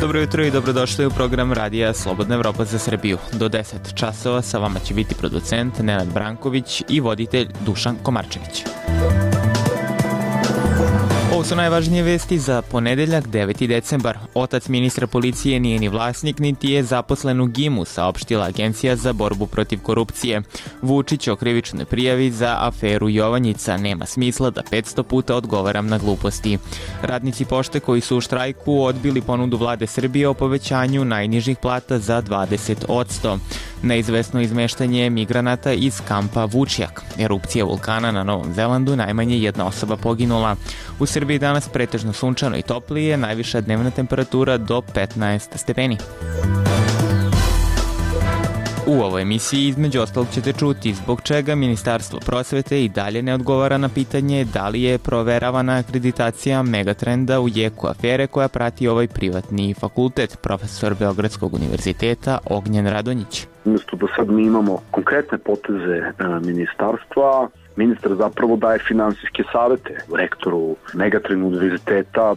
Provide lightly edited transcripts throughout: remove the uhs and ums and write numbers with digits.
Dobro jutro i dobrodošli u program radija Slobodna Evropa za Srbiju. Do 10 časova sa vama će biti producent Nenad Branković i voditelj Dušan Komarčević. Ovo su najvažnije vesti za ponedeljak 9. decembar. Otac ministra policije nije ni vlasnik, niti je zaposlen u GIM-u, saopštila Agencija za borbu protiv korupcije. Vučić o krivičnoj prijavi za aferu Jovanjica: nema smisla da 500 puta odgovaram na gluposti. Radnici pošte koji su u štrajku odbili ponudu vlade Srbije o povećanju najnižih plata za 20%. Neizvesno izmeštanje migranata iz kampa Vučjak. Erupcija vulkana na Novom Zelandu, najmanje jedna osoba poginula. U Srbiji danas pretežno sunčano i toplije, najviša dnevna temperatura do 15 stepeni. U ovoj emisiji između ostalog ćete čuti zbog čega Ministarstvo prosvete i dalje ne odgovara na pitanje da li je proveravana akreditacija Megatrenda u jeku afere koja prati ovaj privatni fakultet, profesor Beogradskog univerziteta Ognjen Radonjić. Umjesto da sad mi imamo konkretne poteze ministarstva, ministar zapravo daje finansijske savete rektoru Megatrend univerziteta.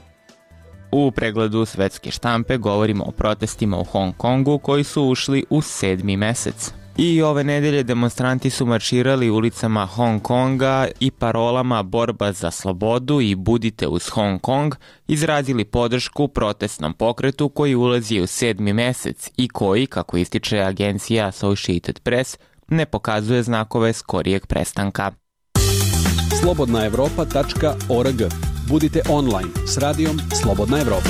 U pregledu svetske štampe govorimo o protestima u Hong Kongu koji su ušli u 7. mesec. I ove nedelje demonstranti su marširali ulicama Hong Konga i parolama borba za slobodu i budite uz Hong Kong izrazili podršku protestnom pokretu koji ulazi u 7. mesec i koji, kako ističe agencija Associated Press, ne pokazuje znakove skorijeg prestanka. slobodnaevropa.org. Budite online s radijom Slobodna Evropa.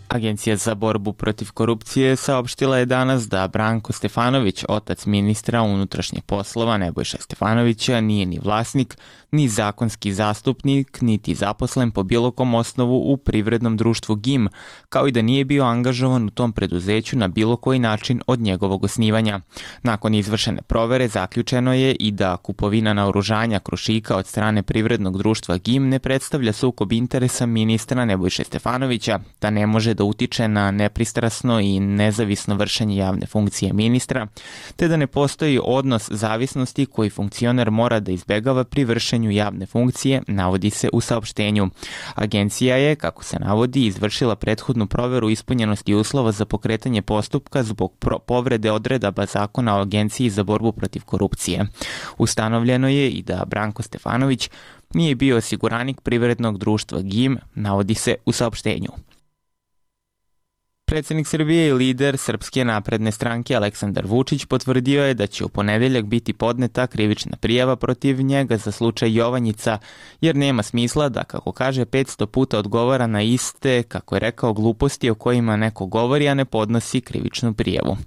Agencija za borbu protiv korupcije saopštila je danas da Branko Stefanović, otac ministra unutrašnjih poslova Nebojše Stefanovića, nije ni vlasnik, ni zakonski zastupnik, niti zaposlen po bilo kom osnovu u privrednom društvu GIM, kao i da nije bio angažovan u tom preduzeću na bilo koji način od njegovog osnivanja. Nakon izvršene provere zaključeno je i da kupovina naoružanja Krušika od strane privrednog društva GIM ne predstavlja sukob interesa ministra Nebojše Stefanovića, da ne može da utiče na nepristrasno i nezavisno vršenje javne funkcije ministra, te da ne postoji odnos zavisnosti koji funkcioner mora da izbegava pri vršenju javne funkcije, navodi se u saopštenju. Agencija je, kako se navodi, izvršila prethodnu proveru ispunjenosti uslova za pokretanje postupka zbog povrede odredaba Zakona o Agenciji za borbu protiv korupcije. Ustanovljeno je i da Branko Stefanović nije bio osiguranik privrednog društva GIM, navodi se u saopštenju. Predsjednik Srbije i lider Srpske napredne stranke Aleksandar Vučić potvrdio je da će u ponedeljak biti podneta krivična prijava protiv njega za slučaj Jovanjica, jer nema smisla da, kako kaže, 500 puta odgovara na iste, kako je rekao, gluposti o kojima neko govori, a ne podnosi krivičnu prijavu.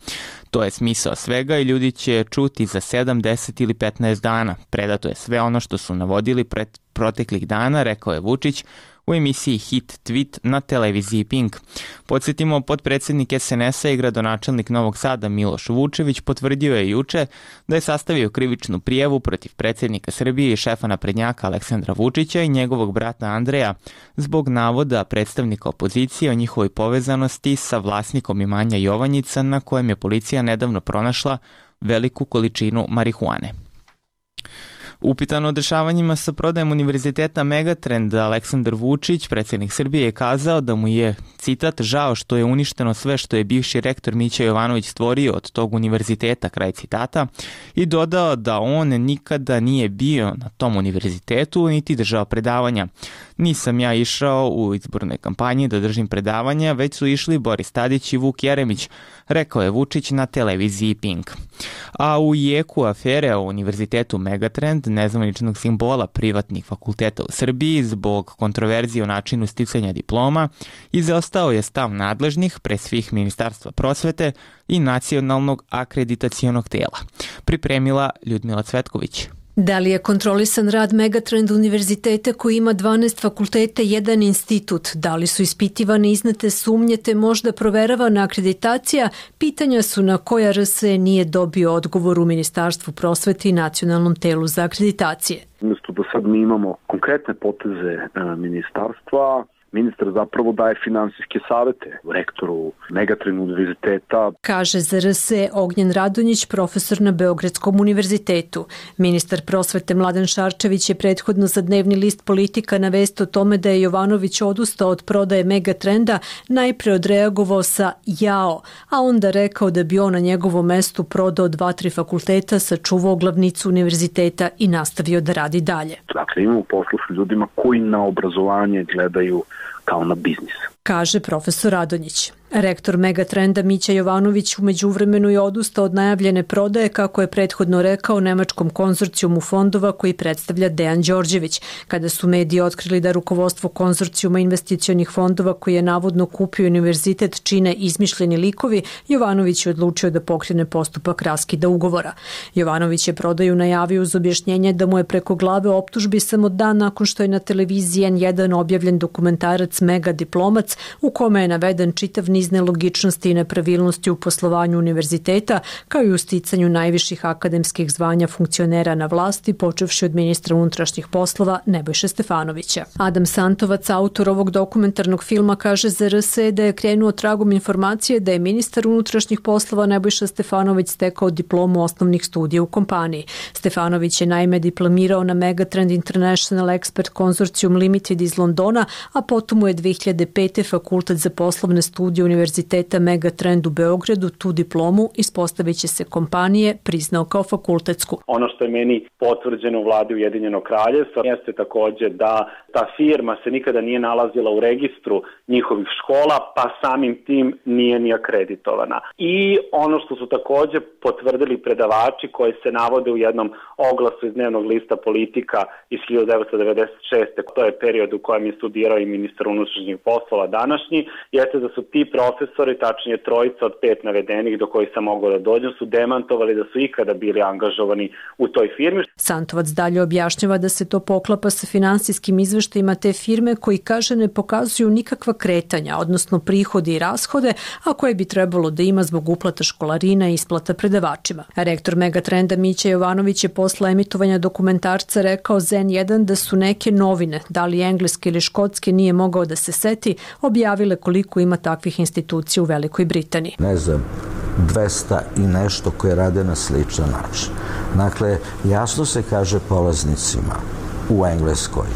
To je smisao svega i ljudi će čuti za 7, 10 ili 15 dana. Predato je sve ono što su navodili proteklih dana, rekao je Vučić u emisiji Hit Tweet na televiziji Pink. Podsjetimo, potpredsjednik SNS-a i gradonačelnik Novog Sada Miloš Vučević potvrdio je juče da je sastavio krivičnu prijavu protiv predsjednika Srbije i šefa naprednjaka Aleksandra Vučića i njegovog brata Andreja zbog navoda predstavnika opozicije o njihovoj povezanosti sa vlasnikom imanja Jovanjica na kojem je policija nedavno pronašla veliku količinu marihuane. Upitan o dešavanjima sa prodajem univerziteta Megatrend, Aleksandar Vučić, predsjednik Srbije, je kazao da mu je, citat, žao što je uništeno sve što je bivši rektor Mića Jovanović stvorio od tog univerziteta, kraj citata, i dodao da on nikada nije bio na tom univerzitetu niti držao predavanja. Nisam ja išao u izbornoj kampanji da držim predavanja, već su išli Boris Tadić i Vuk Jeremić, rekao je Vučić na televiziji Pink. A u jeku afere o univerzitetu Megatrend, nezvaničnog simbola privatnih fakulteta u Srbiji zbog kontroverzije o načinu sticanja diploma, izostao je stav nadležnih, pre svih Ministarstva prosvete i Nacionalnog akreditacionog tela. Pripremila Ljudmila Cvetković. Da li je kontrolisan rad Megatrend univerziteta koji ima 12 fakulteta i jedan institut? Da li su ispitivane iznete sumnje te možda proveravana akreditacija? Pitanja su na koja RSE nije dobio odgovor u Ministarstvu prosvete i Nacionalnom telu za akreditacije. Umjesto da sad mi imamo konkretne poteze ministarstva, Ministar zapravo daje finansijske savete rektoru Megatrend univerziteta. Kaže za RS Ognjen Radonjić, profesor na Beogradskom univerzitetu. Ministar prosvete Mladen Šarčević je prethodno za dnevni list Politika na vest o tome da je Jovanović odustao od prodaje Megatrenda najpre odreagovao sa jao, a onda rekao da bi on na njegovom mestu prodao 2-3 fakulteta, sačuvao glavnicu univerziteta i nastavio da radi dalje. Dakle, imamo poslu s ljudima koji na obrazovanje gledaju kao na biznis. Kaže profesor Radonjić. Rektor Megatrenda Mića Jovanović u međuvremenu je odustao od najavljene prodaje, kako je prethodno rekao, nemačkom konzorcijumu fondova koji predstavlja Dejan Đorđević. Kada su mediji otkrili da rukovodstvo konzorcijuma investicionih fondova koji je navodno kupio univerzitet čine izmišljeni likovi, Jovanović je odlučio da pokrene postupak raskida ugovora. Jovanović je prodaju najavio uz objašnjenje da mu je preko glave optužbi samo dan nakon što je na televiziji N1 objavljen dokumentarac Mega diplomac u kome je naveden čitav niz nelogičnosti i nepravilnosti u poslovanju univerziteta, kao i u sticanju najviših akademskih zvanja funkcionera na vlasti, počevši od ministra unutrašnjih poslova Nebojše Stefanovića. Adam Santovac, autor ovog dokumentarnog filma, kaže za RS da je krenuo tragom informacije da je ministar unutrašnjih poslova Nebojša Stefanović stekao diplomu osnovnih studija u kompaniji. Stefanović je naime diplomirao na Megatrend International Expert Consortium Limited iz Londona, a potom mu je 2005. Fakultet za poslovne studije Univerziteta Megatrend u Beogradu tu diplomu, ispostavit će se kompanije, priznao kao fakultetsku. Ono što je meni potvrđeno u vladi Ujedinjenog Kraljevstva jeste takođe da ta firma se nikada nije nalazila u registru njihovih škola, pa samim tim nije ni akreditovana. I ono što su takođe potvrdili predavači koji se navode u jednom oglasu iz dnevnog lista Politika iz 1996. To je period u kojem je studirao i ministar unutrašnjih poslova današnji, jeste da su ti profesori, tačnije trojica od 5 navedenih do kojih sam mogao da dođem, su demantovali da su ikada bili angažovani u toj firmi. Santovac dalje objašnjava da se to poklapa sa finansijskim izveštajima te firme koji, kaže, ne pokazuju nikakva kretanja, odnosno prihode i rashode, a koje bi trebalo da ima zbog uplata školarina i isplata predavačima. Rektor Megatrenda Mića Jovanović je posle emitovanja dokumentarca rekao za N1 da su neke novine, da li engleske ili škotske nije mogao da se seti, objavile koliko ima takvih institucija u Velikoj Britaniji. Ne znam, 200 i nešto koje rade na sličan način. Dakle, jasno se kaže polaznicima u Engleskoj,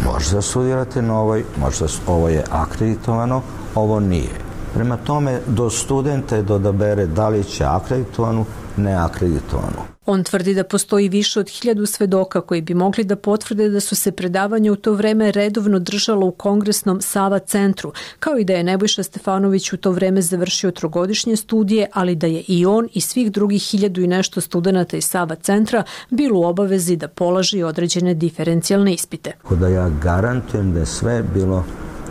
možda studirate na ovoj, možda ovo je akreditovano, ovo nije. Prema tome, do studenta je da bere da li će akreditovanu, neakreditovanu. On tvrdi da postoji više od 1000 svedoka koji bi mogli da potvrde da su se predavanja u to vreme redovno držala u kongresnom Sava centru, kao i da je Nebojša Stefanović u to vreme završio 3-godišnje studije, ali da je i on i svih drugih 1000 i nešto studenata iz Sava centra bilo u obavezi da polaži određene diferencijalne ispite. Da ja garantujem da je sve bilo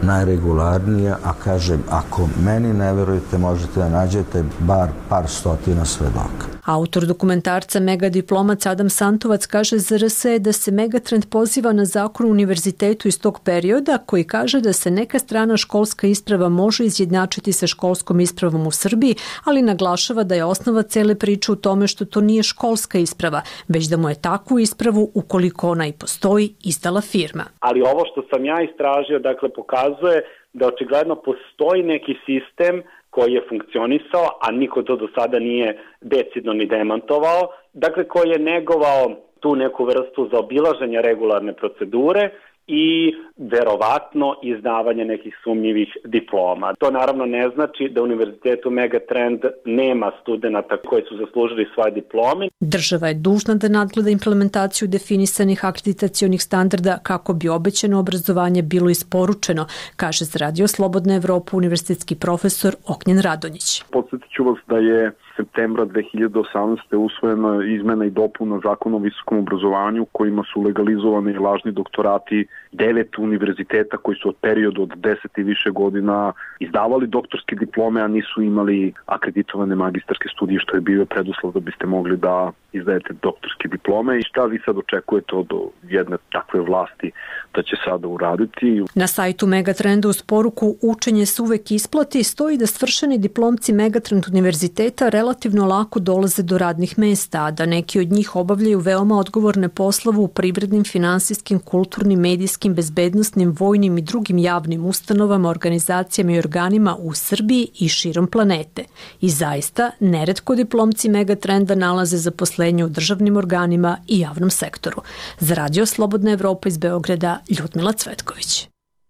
najregularnije, a kažem, ako meni ne verujete, možete da nađete bar par stotina svedoka. Autor dokumentarca Mega diplomac Adam Santovac kaže za RS da se Megatrend poziva na zakon o univerzitetu iz tog perioda koji kaže da se neka strana školska isprava može izjednačiti sa školskom ispravom u Srbiji, ali naglašava da je osnova cele priče u tome što to nije školska isprava, već da mu je takvu ispravu, ukoliko ona i postoji, izdala firma. Ali ovo što sam ja istražio, dakle, pokazuje da očigledno postoji neki sistem koji je funkcionisao, a niko to do sada nije decidno ni demantovao, dakle koji je negovao tu neku vrstu zaobilaženja regularne procedure i verovatno izdavanje nekih sumnjivih diploma. To naravno ne znači da Univerzitetu Megatrend nema studenata koji su zaslužili svoje diplome. Država je dužna da nadgleda implementaciju definisanih akreditacionih standarda kako bi obećano obrazovanje bilo isporučeno, kaže za Radio Slobodna Evropa univerzitetski profesor Ognjen Radonjić. Podsjetit ću vas da je septembra 2018. usvojena izmena i dopuna zakona o visokom obrazovanju kojima su legalizovani lažni doktorati 9 univerziteta koji su od periodu od 10 i više godina izdavali doktorske diplome, a nisu imali akreditovane magistarske studije, što je bio preduslov da biste mogli da izdajete doktorske diplome. I šta vi sad očekujete od jedne takve vlasti da će sada uraditi? Na sajtu Megatrenda uz poruku "Učenje se uvek isplati" stoji da svršeni diplomci Megatrend univerziteta relativno lako dolaze do radnih mesta, a da neki od njih obavljaju veoma odgovorne poslove u privrednim, finansijskim, kulturnim, medijskim, bezbednosnim, vojnim i drugim javnim ustanovama, organizacijama i organima u Srbiji i širom planete. I zaista, neretko diplomci Megatrenda nalaze zaposlenje u državnim organima i javnom sektoru. Za Radio Slobodna Evropa iz Beograda, Ljudmila Cvetković.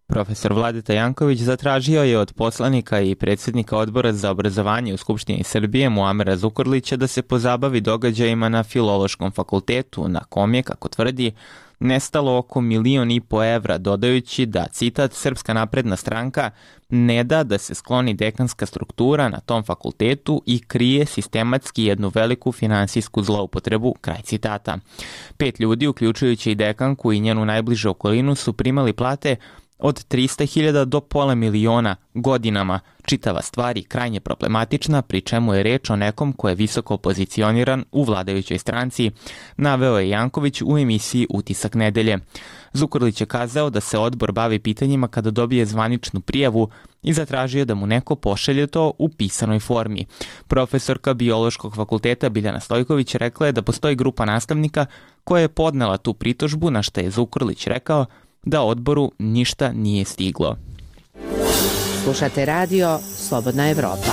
Profesor Vladeta Janković zatražio je od poslanika i predsjednika Odbora za obrazovanje u Skupštini Srbije Muamera Zukorlića da se pozabavi događajima na Filološkom fakultetu, na kom je, kako tvrdi, nestalo oko 1,5 miliona evra, dodajući da, citat, Srpska napredna stranka ne da da se skloni dekanska struktura na tom fakultetu i krije sistematski jednu veliku finansijsku zloupotrebu, kraj citata. 5 ljudi, uključujući i dekanku i njenu najbližu okolinu, su primali plate od 300.000 do pola miliona godinama. Čitava stvar je krajnje problematična, pri čemu je reč o nekom ko je visoko pozicioniran u vladajućoj stranci, naveo je Janković u emisiji Utisak nedelje. Zukorlić je kazao da se odbor bavi pitanjima kada dobije zvaničnu prijavu i zatražio da mu neko pošalje to u pisanoj formi. Profesorka Biološkog fakulteta Biljana Stojković rekla je da postoji grupa nastavnika koja je podnela tu pritužbu, na što je Zukorlić rekao da odboru ništa nije stiglo. Slušate radio Slobodna Evropa.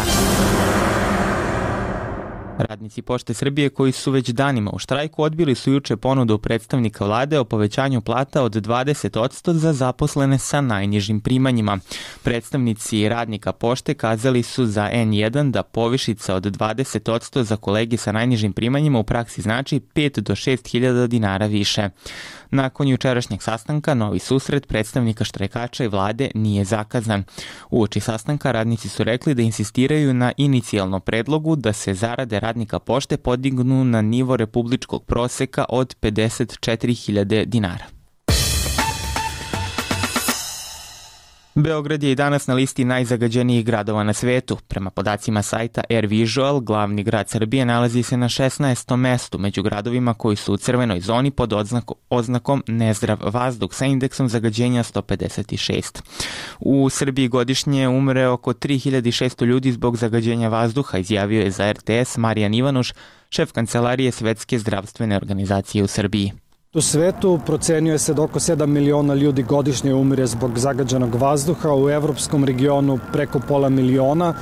Radnici Pošte Srbije koji su već danima u štrajku odbili su juče ponudu predstavnika vlade o povećanju plata od 20% za zaposlene sa najnižim primanjima. Predstavnici radnika Pošte kazali su za N1 da povišica od 20% za kolege sa najnižim primanjima u praksi znači 5 do 6.000 dinara više. Nakon jučerašnjeg sastanka, novi susret predstavnika štrajkača i vlade nije zakazan. Uoči sastanka radnici su rekli da insistiraju na inicijalnom predlogu da se zarade radnika Pošte podignu na nivo republičkog proseka od 54.000 dinara. Beograd je i danas na listi najzagađenijih gradova na svetu. Prema podacima sajta AirVisual, glavni grad Srbije nalazi se na 16. mestu među gradovima koji su u crvenoj zoni pod oznakom nezdrav vazduh sa indeksom zagađenja 156. U Srbiji godišnje umre oko 3600 ljudi zbog zagađenja vazduha, izjavio je za RTS Marijan Ivanuš, šef kancelarije Svetske zdravstvene organizacije u Srbiji. U svetu procenjuje se da oko 7 miliona ljudi godišnje umire zbog zagađenog vazduha, u evropskom regionu preko pola miliona.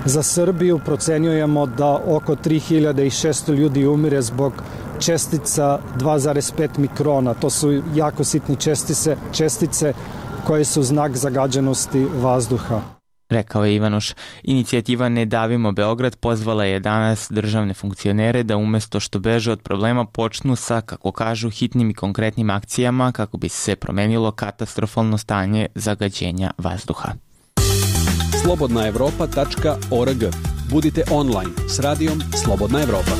Za Srbiju procenjujemo da oko 3600 ljudi umire zbog čestica 2,5 mikrona. To su jako sitne čestice koje su znak zagađenosti vazduha. Rekao je Ivanuš. Inicijativa Ne davimo Beograd pozvala je danas državne funkcionere da umesto što beže od problema počnu sa, kako kažu, hitnim i konkretnim akcijama kako bi se promenilo katastrofalno stanje zagađenja vazduha. slobodnaevropa.org. Budite online s radijom Slobodna Evropa.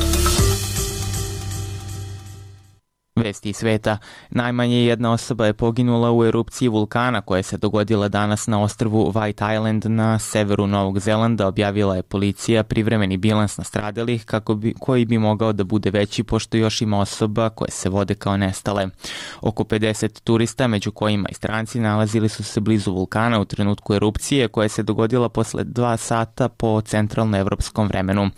Vesti iz sveta. Najmanje jedna osoba je poginula u erupciji vulkana koja se dogodila danas na ostrvu White Island na severu Novog Zelanda, objavila je policija privremeni bilans nastradalih koji bi mogao da bude veći pošto još ima osoba koje se vode kao nestale. Oko 50 turista, među kojima i stranci, nalazili su se blizu vulkana u trenutku erupcije koja se dogodila posle 2 sata po centralnoevropskom vremenu.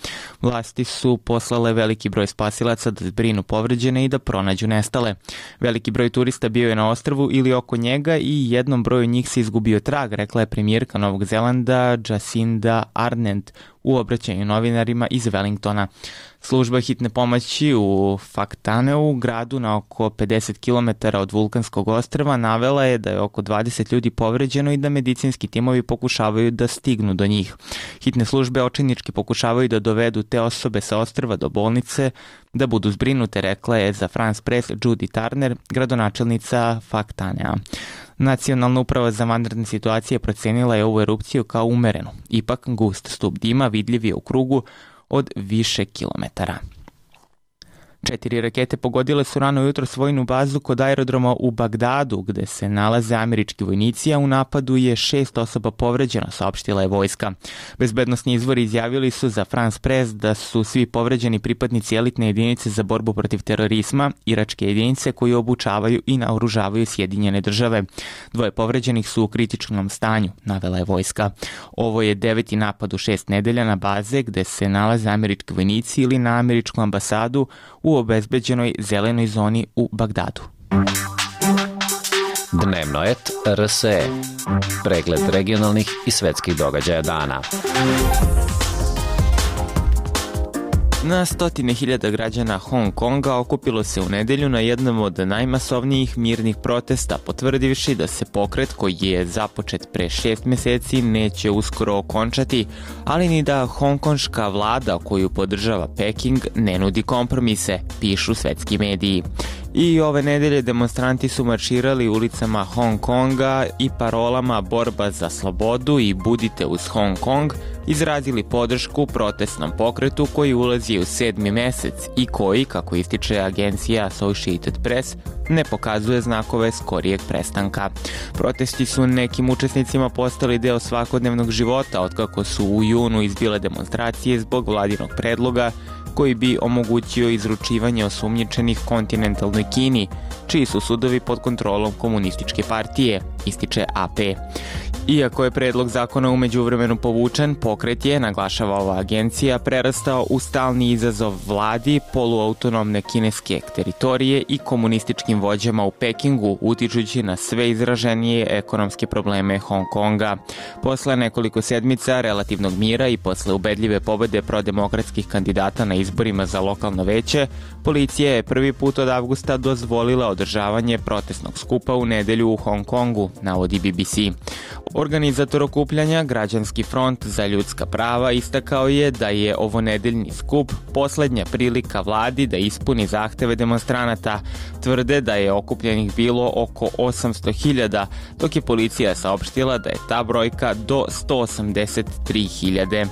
Vlasti su poslale veliki broj spasilaca da zbrinu povređene i da pronađu nestale. Veliki broj turista bio je na ostrvu ili oko njega i jednom broju njih se izgubio trag, rekla je premijerka Novog Zelanda Jacinda Ardern u obraćanju novinarima iz Wellingtona. Služba hitne pomoći u Whakatane, gradu na oko 50 km od vulkanskog ostrva, navela je da je oko 20 ljudi povređeno i da medicinski timovi pokušavaju da stignu do njih. Hitne službe očajnički pokušavaju da dovedu te osobe sa ostrva do bolnice da budu zbrinute, rekla je za France Press Judy Turner, gradonačelnica Whakatanea. Nacionalna uprava za vanredne situacije procenila je ovu erupciju kao umerenu. Ipak, gust stup dima vidljiv je u krugu od više kilometara. 4 rakete pogodile su rano jutro vojnu bazu kod aerodroma u Bagdadu, gde se nalaze američki vojnici, a u napadu je 6 osoba povređeno, saopštila je vojska. Bezbednosni izvori izjavili su za France Press da su svi povređeni pripadnici elitne jedinice za borbu protiv terorizma, iračke jedinice koji obučavaju i naoružavaju Sjedinjene države. 2 povređenih su u kritičnom stanju, navela je vojska. Ovo je 9. napad u 6 nedelja na baze gde se nalaze američki vojnici ili na američku ambasadu u obezbeđenoj zelenoj zoni u Bagdadu. Dnevnoet RSE. Pregled regionalnih i svetskih događaja dana. Na stotine hiljada građana Hong Konga okupilo se u nedelju na jednom od najmasovnijih mirnih protesta, potvrdivši da se pokret koji je započet pre 6 meseci neće uskoro okončati, ali ni da hongkonška vlada koju podržava Peking ne nudi kompromise, pišu svetski mediji. I ove nedelje demonstranti su marširali ulicama Hong Konga i parolama borba za slobodu i budite uz Hong Kong izrazili podršku protestnom pokretu koji ulazi u 7. mesec i koji, kako ističe agencija Associated Press, ne pokazuje znakove skorijeg prestanka. Protesti su nekim učesnicima postali deo svakodnevnog života otkako su u junu izbile demonstracije zbog vladinog predloga koji bi omogućio izručivanje osumnjičenih kontinentalnoj Kini, čiji su sudovi pod kontrolom komunističke partije, ističe AP. Iako je predlog zakona u međuvremenu povučen, pokret je, naglašava ova agencija, prerastao u stalni izazov vladi, poluautonomne kineske teritorije i komunističkim vođama u Pekingu, utičući na sve izraženije ekonomske probleme Hong Konga. Posle nekoliko sedmica relativnog mira i posle ubedljive pobede prodemokratskih kandidata na izborima za lokalno veće, policija je prvi put od avgusta dozvolila održavanje protestnog skupa u nedelju u Hong Kongu, navodi BBC. Organizator okupljanja, Građanski front za ljudska prava, istakao je da je ovo nedeljni skup poslednja prilika vladi da ispuni zahteve demonstranata. Tvrde da je okupljenih bilo oko 800.000, dok je policija saopštila da je ta brojka do 183.000.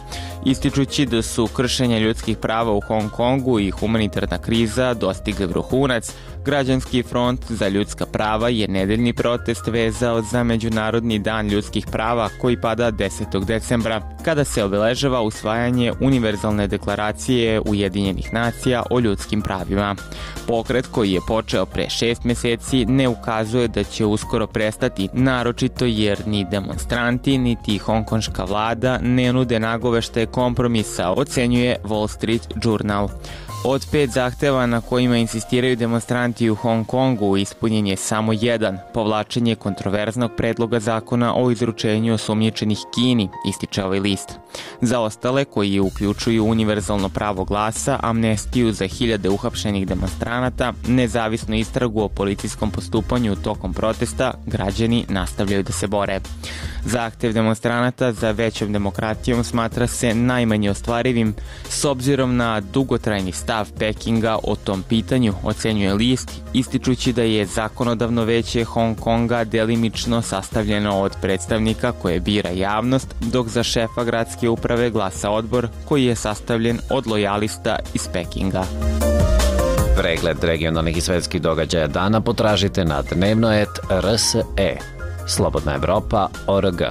Ističući da su kršenja ljudskih prava u Hong Kongu i humanitarna kriza dostigli vrhunac, Građanski front za ljudska prava je nedeljni protest vezao za Međunarodni dan ljudskih prava koji pada 10. decembra, kada se obeležava usvajanje Univerzalne deklaracije Ujedinjenih nacija o ljudskim pravima. Pokret koji je počeo pre 6 meseci ne ukazuje da će uskoro prestati, naročito jer ni demonstranti niti hongkonška vlada ne nude nagoveštaje kompromisa, ocenjuje Wall Street Journal. Od 5 zahteva na kojima insistiraju demonstranti u Hong Kongu ispunjen je samo jedan, povlačenje kontroverznog predloga zakona o izručenju osumnjičenih Kini, ističe ovaj list. Za ostale, koji uključuju univerzalno pravo glasa, amnestiju za hiljade uhapšenih demonstranata, nezavisnu istragu o policijskom postupanju tokom protesta, građani nastavljaju da se bore. Zahtev demonstranata za većom demokratijom smatra se najmanje ostvarivim s obzirom na dugotrajni stav Pekinga o tom pitanju, ocenjuje list, ističući da je zakonodavno veće Hong Konga delimično sastavljeno od predstavnika koje bira javnost, dok za šefa gradske uprave glasa odbor koji je sastavljen od lojalista iz Pekinga. Pregled regionalnih i svetskih događaja dana potražite na Dnevnoet RSE. Slobodna Evropa.org.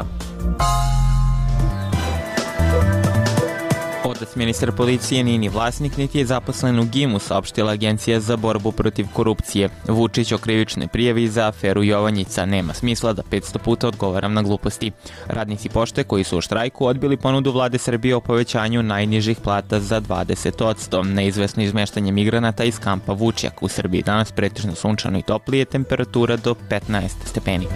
Otac ministar policije nije ni vlasnik niti je zaposlen u GIM-u, saopštila Agencija za borbu protiv korupcije. Vučić o krivičnoj prijavi za aferu Jovanjica: nema smisla da 500 puta odgovaram na gluposti. Radnici pošte koji su u štrajku odbili ponudu vlade Srbije o povećanju najnižih plata za 20%. Neizvesno izmeštanje migranata iz kampa Vučjak. U Srbiji danas pretežno sunčano i toplije, temperatura do 15 stepeni.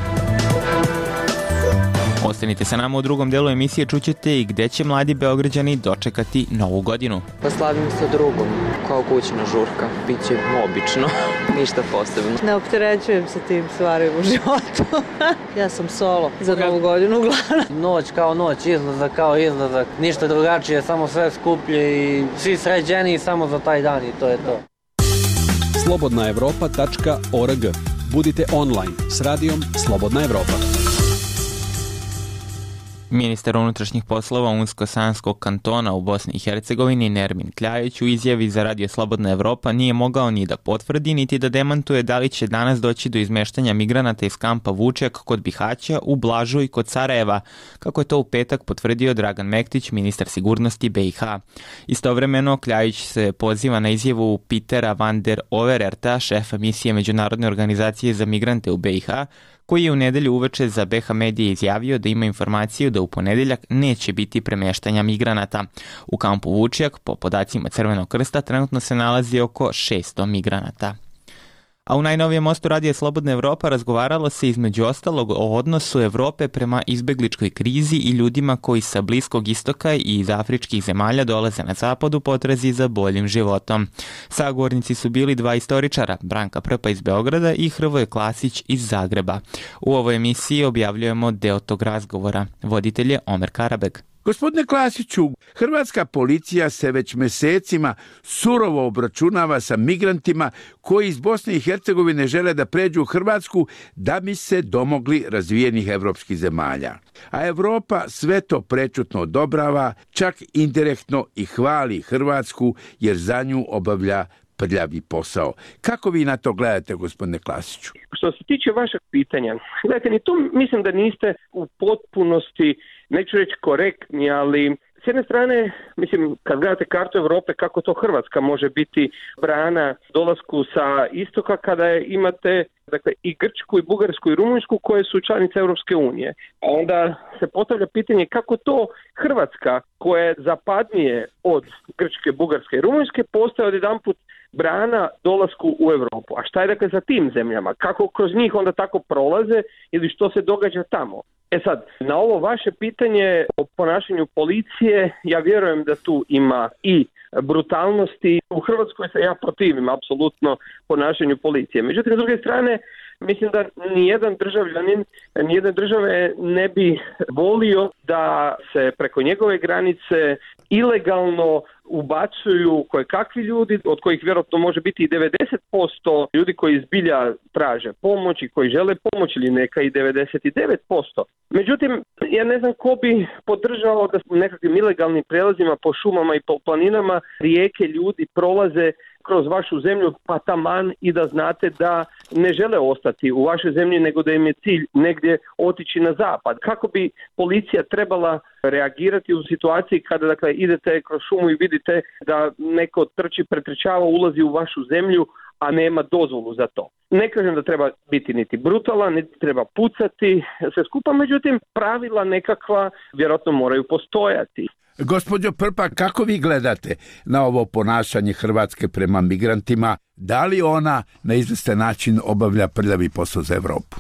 Ostanite sa nama u drugom delu emisije, čućete i gde će mladi Beograđani dočekati Novu godinu. Pa slavim sa drugom, kao kućna žurka. Biće obično, ništa posebno. Ne opterećujem se tim stvarima u životu. Ja sam solo za Novu godinu uglavnom. Noć kao noć, izlazak kao izlazak. Ništa drugačije, samo sve skuplje i svi sređeni samo za taj dan i to je to. slobodnaevropa.org. Budite online s radijom Slobodna Evropa. Ministar unutrašnjih poslova Unsko-Sanskog kantona u Bosni i Hercegovini Nermin Kljajić u izjavi za Radio Slobodna Evropa nije mogao ni da potvrdi niti da demantuje da li će danas doći do izmeštanja migranata iz kampa Vučjak kod Bihaća u Blažu i kod Sarajeva, kako je to u petak potvrdio Dragan Mektić, ministar sigurnosti BiH. Istovremeno Kljajić se poziva na izjavu Petera van der Overerta, šefa misije Međunarodne organizacije za migrante u BiH, koji je u nedelju uveče za BH Medije izjavio da ima informaciju da u ponedeljak neće biti premeštanja migranata. U kampu Vučjak, po podacima Crvenog krsta, trenutno se nalazi oko 600 migranata. A u najnovijem mostu Radija Slobodna Evropa razgovaralo se između ostalog o odnosu Evrope prema izbegličkoj krizi i ljudima koji sa Bliskog istoka i iz afričkih zemalja dolaze na zapad u potrazi za boljim životom. Sagovornici su bili dva istoričara, Branka Prpa iz Beograda i Hrvoje Klasić iz Zagreba. U ovoj emisiji objavljujemo deo tog razgovora. Voditelj je Omer Karabeg. Gospodine Klasiću, hrvatska policija se već mesecima surovo obračunava sa migrantima koji iz Bosne i Hercegovine žele da pređu u Hrvatsku da bi se domogli razvijenih evropskih zemalja. A Evropa sve to prečutno odobrava, čak indirektno i hvali Hrvatsku jer za nju obavlja prljavi posao. Kako vi na to gledate, gospodine Klasiću? Što se tiče vašeg pitanja, gledajte, ni tu mislim da niste u potpunosti, neću reći korektni, ali s jedne strane, mislim, kad gledate kartu Europe, kako to Hrvatska može biti brana dolasku sa istoka kada imate, dakle, i Grčku, i Bugarsku, i Rumunjsku koje su članice Europske unije. A onda se postavlja pitanje kako to Hrvatska, koja je zapadnije od Grčke, Bugarske i Rumunjske, postaje odjedanput brana dolasku u Europu. A šta je dakle sa tim zemljama? Kako kroz njih onda tako prolaze ili što se događa tamo? E sad, na ovo vaše pitanje o ponašanju policije, ja vjerujem da tu ima i brutalnosti. U Hrvatskoj se ja protivim apsolutno ponašanju policije. Međutim, s druge strane, mislim da nijedan državljanin, nijedne države ne bi volio da se preko njegove granice ilegalno ubacuju kojekakvi ljudi, od kojih vjerojatno može biti i 90% ljudi koji zbilja traže pomoć i koji žele pomoć, ili neka i 99%. Međutim, ja ne znam ko bi podržao da nekakvim ilegalnim prelazima po šumama i po planinama rijeke ljudi prolaze kroz vašu zemlju, pa taman i da znate da ne žele ostati u vašoj zemlji, nego da im je cilj negdje otići na zapad. Kako bi policija trebala reagirati u situaciji kada, dakle, idete kroz šumu i vidite da neko pretrčava, ulazi u vašu zemlju, a nema dozvolu za to. Ne kažem da treba biti niti brutalan, niti treba pucati sve skupa, međutim pravila nekakva vjerojatno moraju postojati. Gospođo Prpa, kako vi gledate na ovo ponašanje Hrvatske prema migrantima? Da li ona na izvestan način obavlja prljavi posao za Evropu?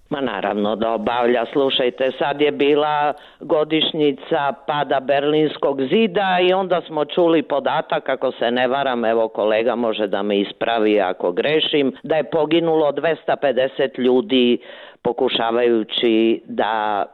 Ma naravno da obavlja. Slušajte, sad je bila godišnjica pada Berlinskog zida i onda smo čuli podatak, ako se ne varam, evo kolega može da me ispravi ako grešim, da je poginulo 250 ljudi pokušavajući da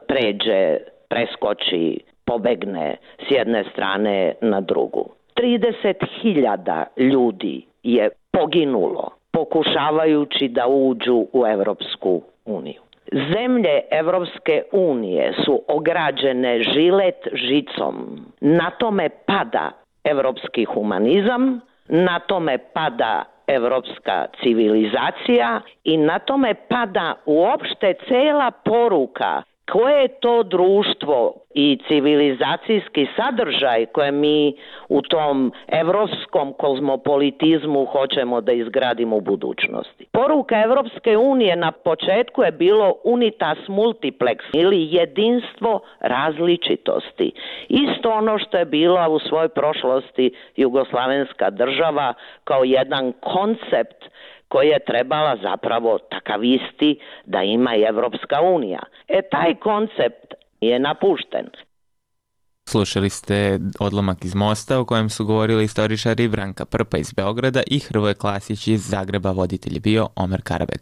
preskoči, pobegne s jedne strane na drugu. 30.000 ljudi je poginulo pokušavajući da uđu u Evropsku uniju. Zemlje Evropske unije su ograđene žilet žicom. Na tome pada evropski humanizam, na tome pada evropska civilizacija i na tome pada uopšte cela poruka koje je to društvo i civilizacijski sadržaj koje mi u tom evropskom kozmopolitizmu hoćemo da izgradimo u budućnosti. Poruka Evropske unije na početku je bilo unitas multiplex ili jedinstvo različitosti. Isto ono što je bila u svojoj prošlosti jugoslavenska država kao jedan koncept koji je trebala zapravo takav isti da ima i Evropska unija. Taj koncept je napušten. Slušali ste odlomak iz Mosta u kojem su govorili istoričari Branka Prpa iz Beograda i Hrvoje Klasić iz Zagreba. Voditelj je bio Omer Karabeg.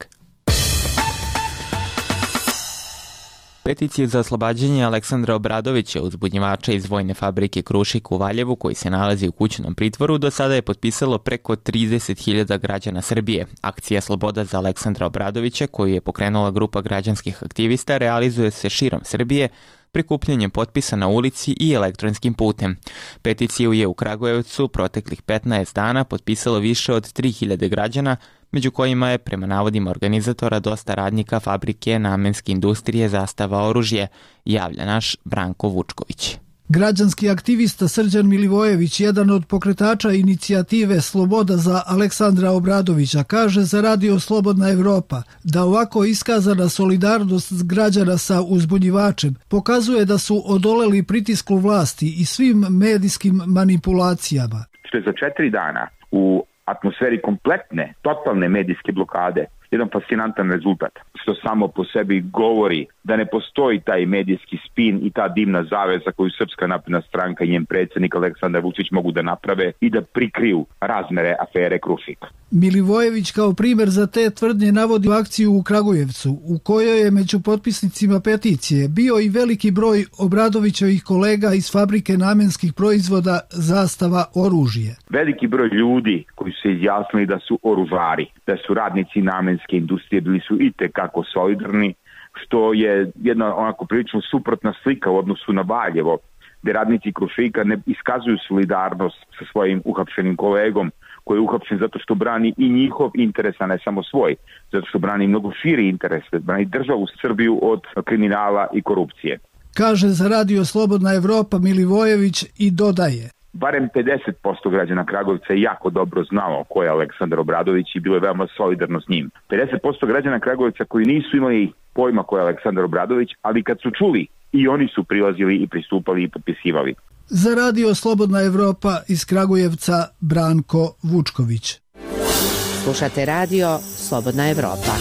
Peticiju za oslobađanje Aleksandra Obradovića, uzbunjivača iz vojne fabrike Krušik u Valjevu, koji se nalazi u kućnom pritvoru, do sada je potpisalo preko 30.000 građana Srbije. Akcija Sloboda za Aleksandra Obradovića, koju je pokrenula grupa građanskih aktivista, realizuje se širom Srbije, prikupljanjem potpisa na ulici i elektronskim putem. Peticiju je u Kragujevcu proteklih 15 dana potpisalo više od 3000 građana, među kojima je, prema navodima organizatora, dosta radnika fabrike namenske industrije Zastava oružje, javlja naš Branko Vučković. Građanski aktivista Srđan Milivojević, jedan od pokretača inicijative Sloboda za Aleksandra Obradovića, kaže za Radio Slobodna Evropa da ovako iskazana solidarnost građana sa uzbunjivačem pokazuje da su odoleli pritisku vlasti i svim medijskim manipulacijama. Što je za 4 dana u atmosferi kompletne, totalne medijske blokade jedan fascinantan rezultat, što samo po sebi govori da ne postoji taj medijski spin i ta dimna zavesa koju Srpska napredna stranka i njen predsjednik Aleksandar Vučić mogu da naprave i da prikriju razmere afere Krušik. Milivojević kao primjer za te tvrdnje navodi akciju u Kragujevcu, u kojoj je među potpisnicima peticije bio i veliki broj Obradovićevih kolega iz fabrike namenskih proizvoda Zastava oružje. Veliki broj ljudi koji su se izjasnili da su oružari, da su radnici namenske industrije, bili su itekako solidarni, što je jedna onako prilično suprotna slika u odnosu na Valjevo, gde radnici Krušika ne iskazuju solidarnost sa svojim uhapšenim kolegom, koji je uhapšen zato što brani i njihov interes, a ne samo svoj, zato što brani mnogo širi interes, brani državu Srbiju od kriminala i korupcije. Kaže za Radio Slobodna Evropa Milivojević i dodaje: barem 50% građana Kragujevca je jako dobro znalo ko je Aleksandar Obradović i bilo je veoma solidarno s njim. 50% građana Kragujevca koji nisu imali pojma ko je Aleksandar Obradović, ali kad su čuli, i oni su prilazili i pristupali i potpisivali. Za Radio Slobodna Evropa iz Kragujevca Branko Vučković. Slušate Radio Slobodna Evropa.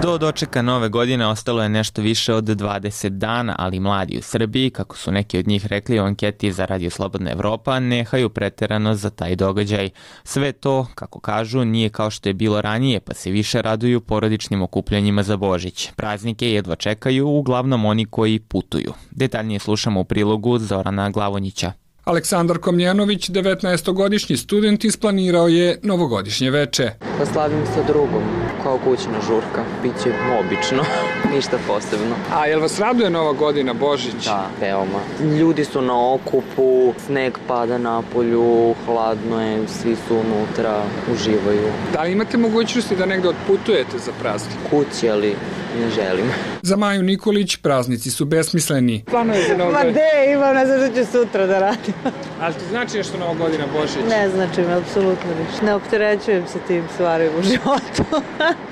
Do dočeka nove godine ostalo je nešto više od 20 dana, ali mladi u Srbiji, kako su neki od njih rekli u anketi za Radio Slobodna Evropa, nehaju preterano za taj događaj. Sve to, kako kažu, nije kao što je bilo ranije, pa se više raduju porodičnim okupljanjima za Božić. Praznike jedva čekaju uglavnom oni koji putuju. Detaljnije slušamo u prilogu Zorana Glavonjića. Aleksandar Komljenović, 19-godišnji student, isplanirao je novogodišnje veče. Da slavim sa drugom, kao kućna žurka. Biće obično, ništa posebno. A jel vas raduje Nova godina, Božić? Da, veoma. Ljudi su na okupu, sneg pada na polju, hladno je, svi su unutra, uživaju. Da li imate mogućnosti da negde otputujete za praznik? Kući, ali ne želim. Za Maju Nikolić praznici su besmisleni. Planuje za Novu godinu? Ma de, imam, ne znam što ću sutra da radim. Ali ti znači nešto Nova godina, Božić? Ne znači mi, apsolutno ništa. Ne opterećujem se tim stvarima u životu.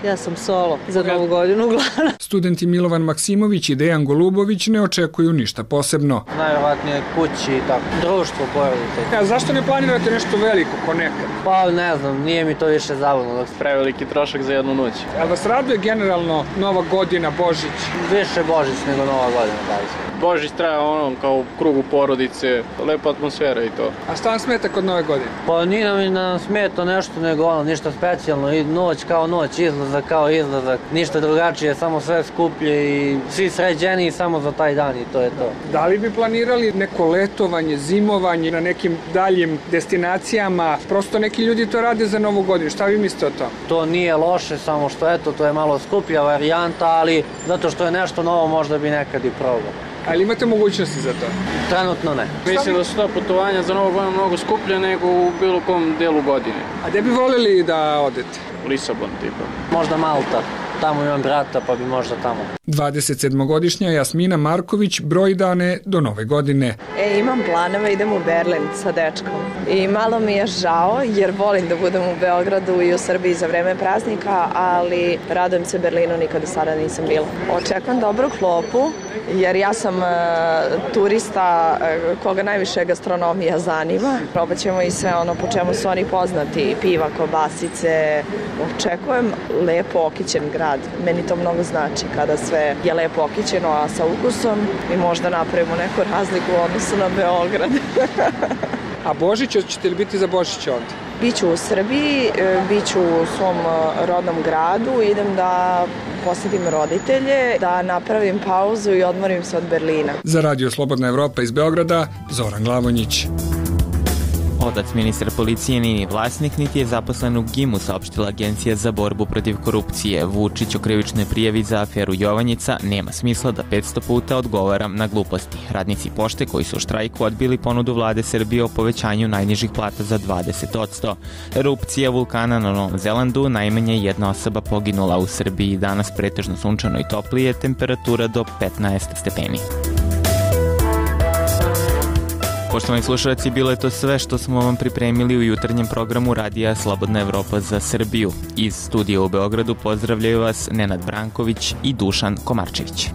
Ja sam solo za Novu godinu uglavnom. Studenti Milovan Maksimović i Dejan Golubović ne očekuju ništa posebno. Najvjerojatnije kući i tako, društvo, porodice. A zašto ne planirate nešto veliko ko nekad? Pa ne znam, nije mi to više zabavno dok se preveliki trošak za jednu noć. Ali vas raduje generalno Nova godina, Božić? Više Božić nego Nova godina, da li se. Božić traja kao u krugu porodice, lepa atmosfera i to. A šta vam smeta kod Nove godine? Pa nije nam smeta nešto nego ništa specijalno, i noć kao noć, izlazak kao izlazak, ništa drugačije, samo sve skuplje i svi sređeni samo za taj dan i to je to. Da li bi planirali neko letovanje, zimovanje na nekim daljim destinacijama? Prosto neki ljudi to rade za Novu godinu, šta vi mislite o tom? To nije loše, samo što eto, to je malo skuplja varijanta, ali zato što je nešto novo možda bi nekad i probao. Ali imate mogućnosti za to? Trenutno ne. Mislim da su ta putovanja za Novu godinu mnogo skuplje nego u bilo kom delu godine. A gde bi voljeli da odete? Lisabon tipa. Možda Malta. Tamo imam brata pa bi možda tamo. 27-godišnja Jasmina Marković broji dane do Nove godine. Imam planove, idem u Berlin sa dečkom. I malo mi je žao jer volim da budem u Beogradu i u Srbiji za vreme praznika, ali radujem se Berlinu, nikad do sada nisam bila. Očekujem dobru klopu jer ja sam turista koga najviše gastronomija zanima. Probat ćemo i sve ono po čemu su oni poznati, piva, kobasice. Očekujem lepo okićen grad. Meni to mnogo znači kada sve je lepo okićeno, a sa ukusom i možda napravimo neku razliku u odnosu na Beograd. A Božić, ćete li biti za Božić ovdje? Biću u Srbiji, biću u svom rodnom gradu, idem da posjetim roditelje, da napravim pauzu i odmorim se od Berlina. Za Radio Slobodna Evropa iz Beograda, Zoran Glavonjić. Otac ministra policije nije ni vlasnik, niti je zaposlen u GIM-u, saopštila Agencija za borbu protiv korupcije. Vučić o krivičnoj prijavi za aferu Jovanjica: nema smisla da 500 puta odgovaram na gluposti. Radnici pošte koji su u štrajku odbili ponudu vlade Srbije o povećanju najnižih plata za 20%. Erupcija vulkana na Novom Zelandu, najmanje jedna osoba poginula. U Srbiji danas pretežno sunčano i toplije, temperatura do 15 stepeni. Poštovani slušalci, bilo je to sve što smo vam pripremili u jutarnjem programu Radija Slobodna Evropa za Srbiju. Iz studija u Beogradu pozdravljaju vas Nenad Branković i Dušan Komarčević.